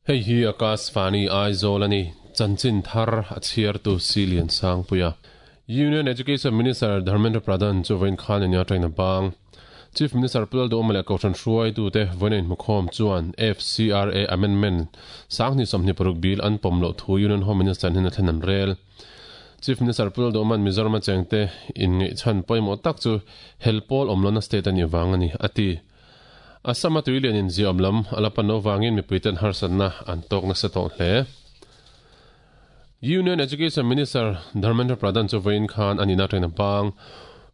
Hei hi Akashvani Aizawl a ni. Chanchin thar a chhiartu Silian Sangpuia. Union Education Minister Dharmendra Pradhan chu vawiin khan ania tangin a bang. Chief Minister Pu Lalduhawma leh Kohhran hruaitute vawiin a inhmukhawm chuan FCRA Amendment 2026 bill an pawm loh thu Union Home Minister hnena thlen an rel. Chief Minister Pu Lalduhawma'n Mizoram-a chengte inngaihchhan pawimawh tak chu hel pawl awm lohna state a nih vang a ni, a ti. Assam-a tuilian inziahawm lam a la pan loh vangin mipuiten harsatna an tawk nasa tawh hle. Union Education Minister Dharmendra Pradhan chu vawiin khan a nihna atangin a bang.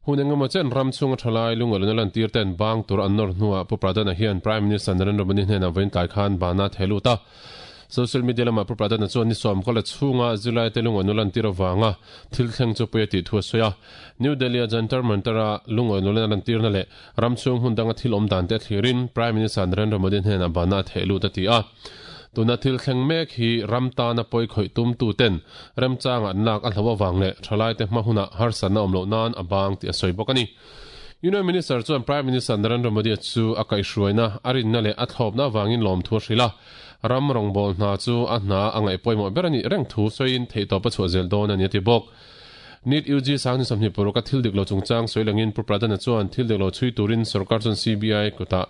Hun engemaw chen ram chhunga thalai lungahluna lantir ten bang tur an nawr hnuah Pu Pradhan-a hian Prime Minister Narendra Modi hnenah vawiin tlai khan bana a theh lut a. Social media lamah Pu Pradhan-a chuan ni sawm kawla chhunga zirlaite lungahluna lantir avanga thil thleng chu pui a tih thu a sawi a. New Delhi-a Jantar Mantar-a lungahluna lantirna leh ram chhung hmun danga thil awm dan te a thlirin Prime Minister Narendra Modi hnenah bana a theh lut a ti a. Tuna thil thleng mek hi ram tana pawi khawih tumtuten remchanga an lak a hlo avang leh thalaite hma hunah harsatna awm loh nan a bang tih a sawi bawk a ni. Union Minister chuan Prime Minister Narendra Modi chu a kaihhruaina, a rinna leh a thlawpna avangin lawmthu a hrilh a, ram rawngbâwl hna chu a hna a ngaih pawimawh ber a nih reng thu sawiin theihtawp a chhuah zel dawn a ni a ti bawk. NEET UG 2026 a thil dik lo chungchang sawi langin Pu Pradhan-a chuan thil dik lo chhui turin sorkar chuan CBI kutah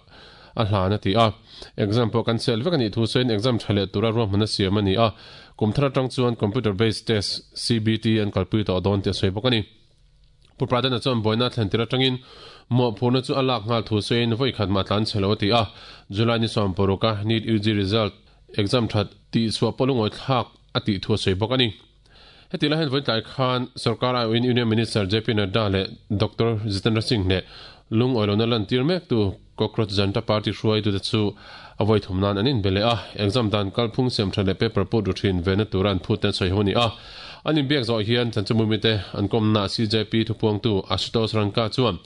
a hlan a ti a. Exam pawh kan sel vek a nih thu sawiin exam tha leh tura ruahman a siam a ni a, kum thar atang chuan Computer Based Test, CBT, an kalpui tawh dawn tih a sawi bawk a ni. Pu Pradhan-a chuan buaina a thlen tir atangin mawhphurhna chu a lak nghal thu sawiin vawi khat mah tlan chhe lo a ti a, July ni 16 a NEET UG result exam that tih chhuah pawh lungawi thlak a tih thu a sawi bawk a ni. Heti lai hian vawi tlai khan sorkar aiawhin Union Minister JP Nadda leh Doctor Jitendra Singh leh lungawi lohna lantir mektu Cockroach Janta Party hruaitute chu a vawi thum nan an inbe leh a, exam dan kalphung siam tha leh paper put ru thin vena tura an phut te an sawi ho a ni a. An inbiak zawh hian Chanchimumite an kawmna CJP thupuangtu Ashutosh Ranka chuan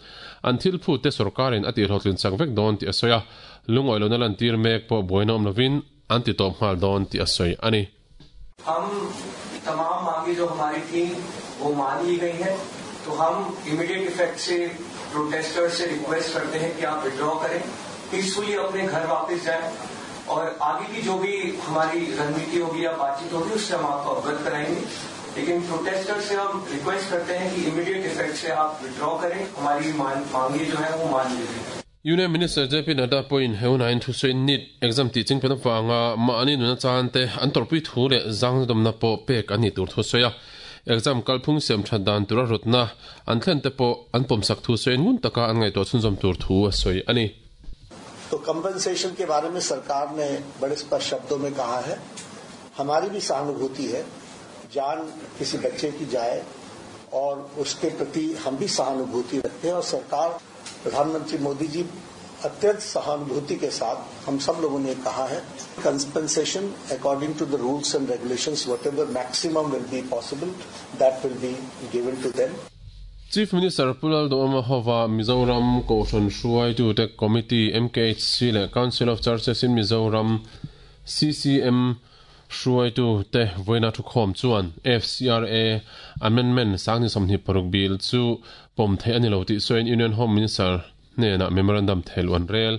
an thil phut te sorkarin a tihhlawhtlin chak vek dawn tih a sawi a, lungawi lohna lantir mek pawh buaina awm lovin an ti tawp nghal dawn tih a sawi a ni. हम तमाम मांगे जो हमारी थी वो मान ली गई हैं तो हम इमीडिएट इफेक्ट से प्रोटेस्टर से रिक्वेस्ट करते हैं कि आप विड्रॉ करें पीसफुली अपने घर वापस जाएं और आगे की जो भी हमारी रणनीति होगी या बातचीत होगी उससे हम आपको अवगत कराएंगे लेकिन प्रोटेस्टर से हम रिक्वेस्ट करते हैं कि इमीडिएट इफेक्ट से आप विड्रॉ करें हमारी मांगे जो है वो मान लीजिए Union Minister JP Nadda pawhin he hunah thusawiin NEET exam tih chingpen avanga mahni nuna chan te an tawrhpui thu leh zangnadawmna pawh pek an nih tur thu a sawi a. Exam kalphung siam that dan tura rawtna an thlen te pawh an pawmsak thu sawiin ngun taka an ngaihtuah chhunzawm tur thu a sawi a ni. तो compensation के बारे में सरकार ने बड़े स्पष्ट शब्दों में कहा है हमारी भी सहानुभूति है जान किसी बच्चे की जाए और उसके प्रति हम भी सहानुभूति रखते हैं और सरकार प्रधानमंत्री मोदी जी अत्यंत सहानुभूति के साथ हम सब लोगों ने कहा है compensation according to the rules and regulations whatever maximum will be possible that will be given to them Chief Minister Pu Lalduhawma hova Mizoram Kohhran hruaitute Committee, MKHC, leh Council of Churches in Mizoram, CCM, Hruaitute vawiina thukhawm chuan FCRA Amendment 2026 Bill chu pawm theih a ni lo tih sawiin Union Home Minister hnenah memorandum thehluh an rel.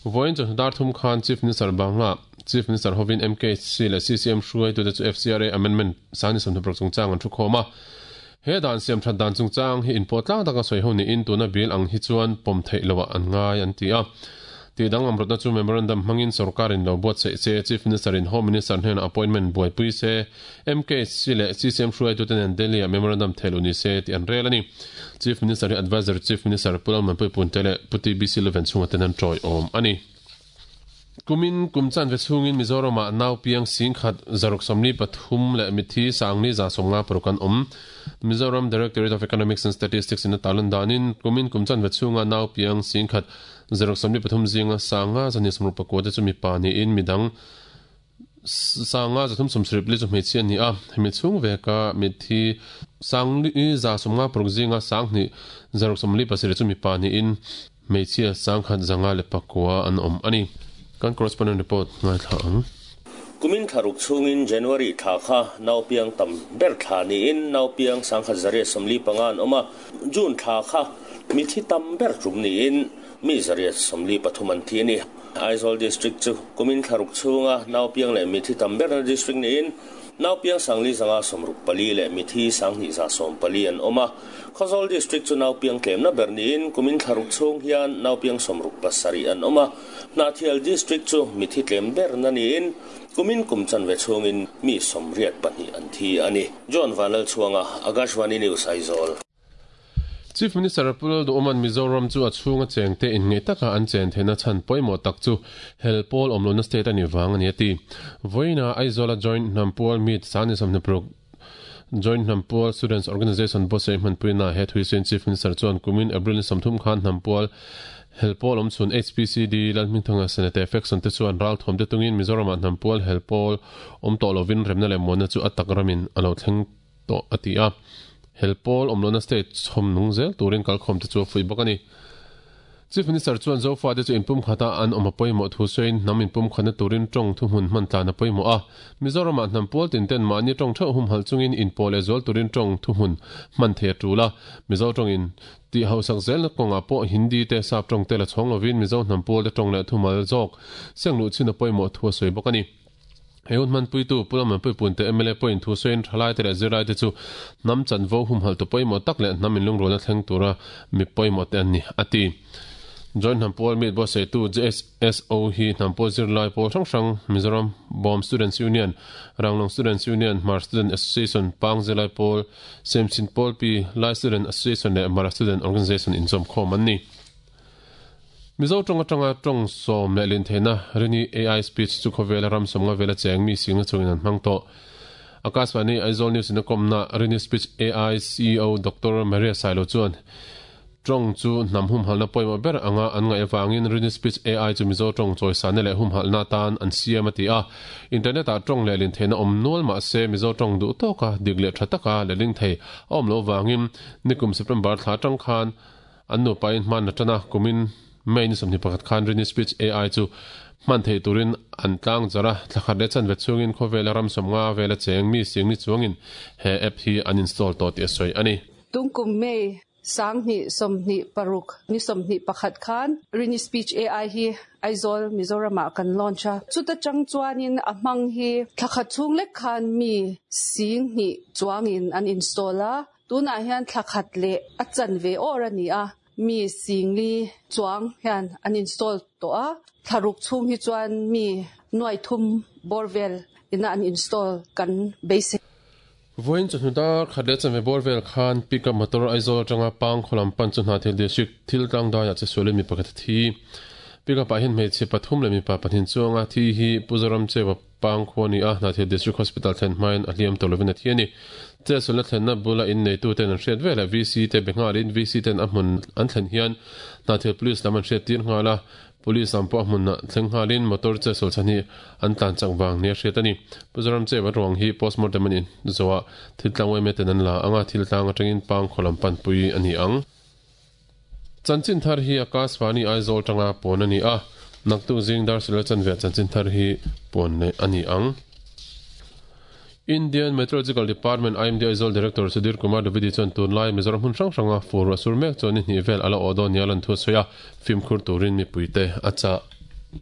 Vawiin chawhnu dar thum khan Chief Minister Bangla Chief Minister hovin MKHC leh CCM hruaitute chu FCRA Amendment 2026 chungchang an thukhawm a. He dan siam that dan chungchang hi inpawh tlang taka sawi ho niin tuna bill ang hi chuan pawm theih loah an ngai an ti a. Tih danglam rawtna chu memorandum hmangin sorkarin lo buatsaih se, Chief Minister-in Home Minister hnenah appointment buaipui se, MKHC leh CCM hruaitute nen Delhi-ah memorandum thehluh ni se tih an rel a ni. Chief Minister hi Adviser Chief Minister Pu Lalmanpui Punte leh Pu TBC Luven chhunga ten an tawiawm a ni. Kumin kum chanve chhungin Mizoramah nau piang 10,000 643 leh mitthi 4,156 an awm. Mizoram Directorate of Economics and Statistics in a tarlan danin kumin kum chanve chhunga nau piang 10,000 643 zinga 5,269 te chu mipa niin midang 5,374 chu hmeichhia a ni a. Hemi chhung veka mitthi 4,156 zinga 2,047 chu mipa niin Hmeichhia 1,509 an awm a ni. Kan correspondent report ngaithla ang. Kumin thla ruk chhungin January thla kha naupiang tam ber thla niin naupiang 1,145 an awm a, June thla kha mithi tam ber tum niin mi 143 an thi a ni. Aizawl District chu kumin thla ruk chhunga naupiang leh mithi tam berna district niin naupiang 5464 leh mithi 2140 an awm a. Khawzawl District chu naupiang tlemna ber niin kumin thla ruk chhung hian naupiang 67 an awm a. Hnahthial District chu mithi tlem berna niin kumin kum chanve chhungin mi 82 an thi a ni. John Vanlalchhuanga, Akashvani News, Aizawl. Chief Minister Pu Lalduhoma'n Mizoram chu a chhunga chengte inngeih taka an chen theihna chhan pawimawh tak chu hel pawl awmlohna state a nih vang a ni a ti. Vawiinah Aizawla Joint Hnampual Meet Sangni 26 Joint Hnampual Students Organisation buatsaih hmanpuina he thuisuin Chief Minister chuan kumin April ni 30 khan Hnampual hel pawl awm chhun HPCD Lalhmingthanga Senate Faction te chuan ralthuam te tungin Mizoramah Hnampual hel pawl awm tawh lovin remna leh muanna chu a tak ramin a lo thleng tawh a ti a. Hel pawl awmlohna state chhawm nung zel turin kalkhawm te chu a fuih bawk a ni. Chief Minister chuan Zofate chu inpumkhata an awm a pawimawh thu sawiin hnam inpumkhatna turin tawng thuhmun hman tlan a pawimawh a. Mizoramah hnam pawl tin ten mahni tawng theuh humhalh chungin inpawh leh zual turin tawng thuhmun hman thei a tul a. Mizo tawngin tih hausak zelna kawngah pawh Hindi te sap tawng te la chhawng lovin Mizo hnam pawl te tawng leh thumal zawk seng luh chin a pawimawh thu a sawi bawk a ni. He hun hmanpuitu Pu Lalmanpui Punte mla pawhin thu sawiin thalaite leh zirlaite chu hnam chanvo humhalh tu pawimawh tak leh hnam inlungrualna thleng tura mi pawimawh te an ni, a ti. Joint Hnampual Meet buatsaihtu JSSO hi Hnampual zirlai pawl hrang hrang Mizoram Bawm Students Union, Ranglong Students Union, Hmar Student Association, Pang Zirlai Pawl, Semchin Pawlpi, Lai Student Association leh Mara Student Organisation inzawmkhawm an ni. Mizo tawng atanga tawng sawm leh lin theihna Rini AI Speech chu khawvela ram sawmnga vela cheng mi singna chungin an hmang tawh. Akashvani Aizawl News in a kawmna Rini Speech AI CEO Doctor Maria Sailo chuan tawng chu hnam humhalhna pawimawh ber anga an ngaih avangin Rini Speech AI chu Mizo tawng chawisanna leh humhalhna atan an siam a ti a. Internet ah tawng leh lin theihna awm nual mahse Mizo tawng duh tawka dik leh tha taka lehling thei a awm loh avangin nikum September thla atang khan An nupain hman a tan a, kumin May ni 21 khan Rini Speech AI chu hman theih turin an tlang zar a, thla khat leh chanve chhungin khawvela ram 50 vela cheng mi sing ni chuangin he app hi an install tawh tih a sawi a ni. Tungkum May 2026 ni 21 khan Rini Speech AI hi Aizawl, Mizoramah kan launch a. Chuta chang chuanin a hmang hi thla khat chhung lek khan mi sing hnih chuangin an install a. Tunah hian thla khat leh a chanve awr a ni a, mi singli chuang hian an install tawh a, thla ruk chhung hi chuan mi nuai thum bawr vel ina an install kan beisei. Vawiin chawhnu dar khat leh chanve bawr vel khan pickup motor Aizawl atanga Pang khaw lam pan chu Hnahthial District thil tlang daiah che sualin mi pakhat a thi. Pickup ah hian hmeichhe pathum leh mipa pahnih chuanga thi hi Pu Zoram Chewa Pang khua a ni a, Hnahthial District Hospital thlen hmain a hliam tawh lovin a thi a ni. Chetsualna thlenna bula inneituten an hriat velah VC te be nghalin VC ten a hmun an thlen hian Hnahthial Police lam an hriat tir nghal a, Police lam pawh a hmunah thleng nghalin motor chetsual chhan hi an tlan chak vang nia hriat a ni. Pu Zoram Chewa ruang hi postmortem an inzawh a, thil tlang uaime ten an la ang a, thil tlang atangin Pang khaw lam panpui a ni ang. Chanchin thar hi Akashvani Aizawl tanga puan a ni a, naktuk zing dar silal chanve ah chanchin thar hi puan leh a ni ang. Indian Meteorological Department, IMD, Aizawl Director Sudhir Kumar Dwivedi chuan tunlai Mizoram hmun hrang hranga fur ruah sur mek chuan ni hnih vel a la awh dawn nia lan thu a sawi a, fimkhur turin mipuite a chah.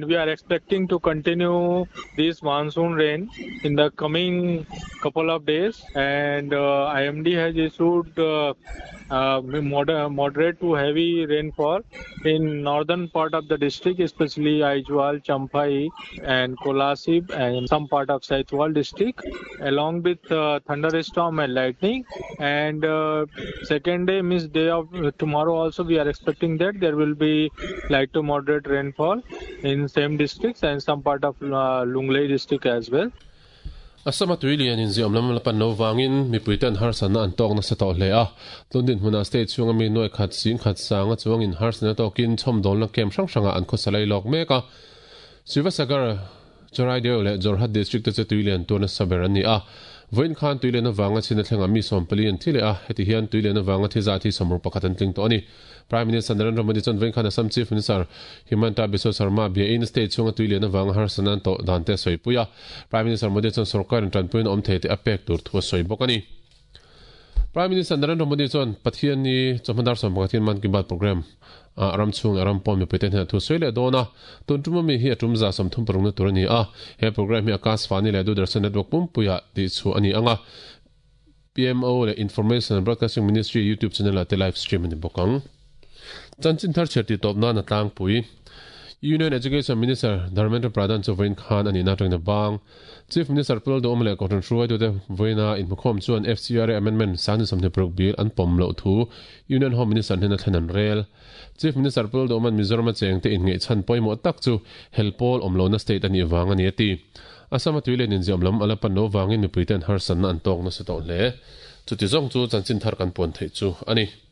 We are expecting to continue this monsoon rain in the coming couple of days and IMD has issued moderate to heavy rainfall in northern part of the district, especially Aizawl, Champhai and Kolasib and some part of Saitual district, along with thunderstorm and lightning. And second day, means day of tomorrow also, we are expecting that there will be light to moderate rainfall in same districts and some part of Lunglei district as well. Assam-a tui lian inziawm lam la pan lo vangin mipuite an harsatna an tawk nasa tawh hle a. Tun dinhmunah state chhunga mi nuai khat sing khat sanga chuangin harsatna tawkin chhawmdawlna camp hrang hrangah an khawsa lai lawk mek a. Sivasagar, Charaideo leh Jorhat district te chu tui lian tur nasa ber an ni a. Vawiin khan tui lian avanga chhin a thlengah mi 14 an thi leh a, heti hian tui lian avanga thi zat hi 61 an tling tawh a ni. Prime Minister Narendra Modi chuan vawiin khan Assam Chief Minister Himanta Biswa Sarma biain state chhunga tui lian avanga harsatna an tawh dan te a sawipui a. Prime Minister Modi chuan sorkarin tanpuiin awm thei tih a pek tur thu a sawi bawk a ni. Prime Minister Narendra Modi chuan Pathianni chawhma dar 11 hian Mann Ki Baat programme. Ah ram chhung leh ram pawn mipuite hnenah thu sawi leh dawn a, tun tum ami hi a tum za 36 na tur a ni a, he programme hi Akashvani leh Doordarshan network pumpuiah tih chhuah a ni ang a, PMO leh Information and Broadcasting Ministry YouTube channel ah te live stream a ni bawk ang. Chanchin thar chhiar tih tawp nan a tlangpui. Union Education Minister Dharmendra Pradhan chu vawiin khan a nihna atangin a bang. Chief Minister Pu Lalduhawma leh Kohhran hruaitute vawiina inhmukhawm chuan FCRA Amendment 2026 bil an pawm loh thu Union Home Minister hnena thlen an rel. Chief Minister Pu Lalduhawma'n Mizoram a chengte inngeihchhan pawimawh tak chu hel pawl awm lohna state a nih vang a ni a ti. Assam a tui len inziahawm lam a la pan loh vangin mipuite an harsatna an tawk nasa tawh hle. Chuti zawng chu chanchin thar kan puan theih chu a ni.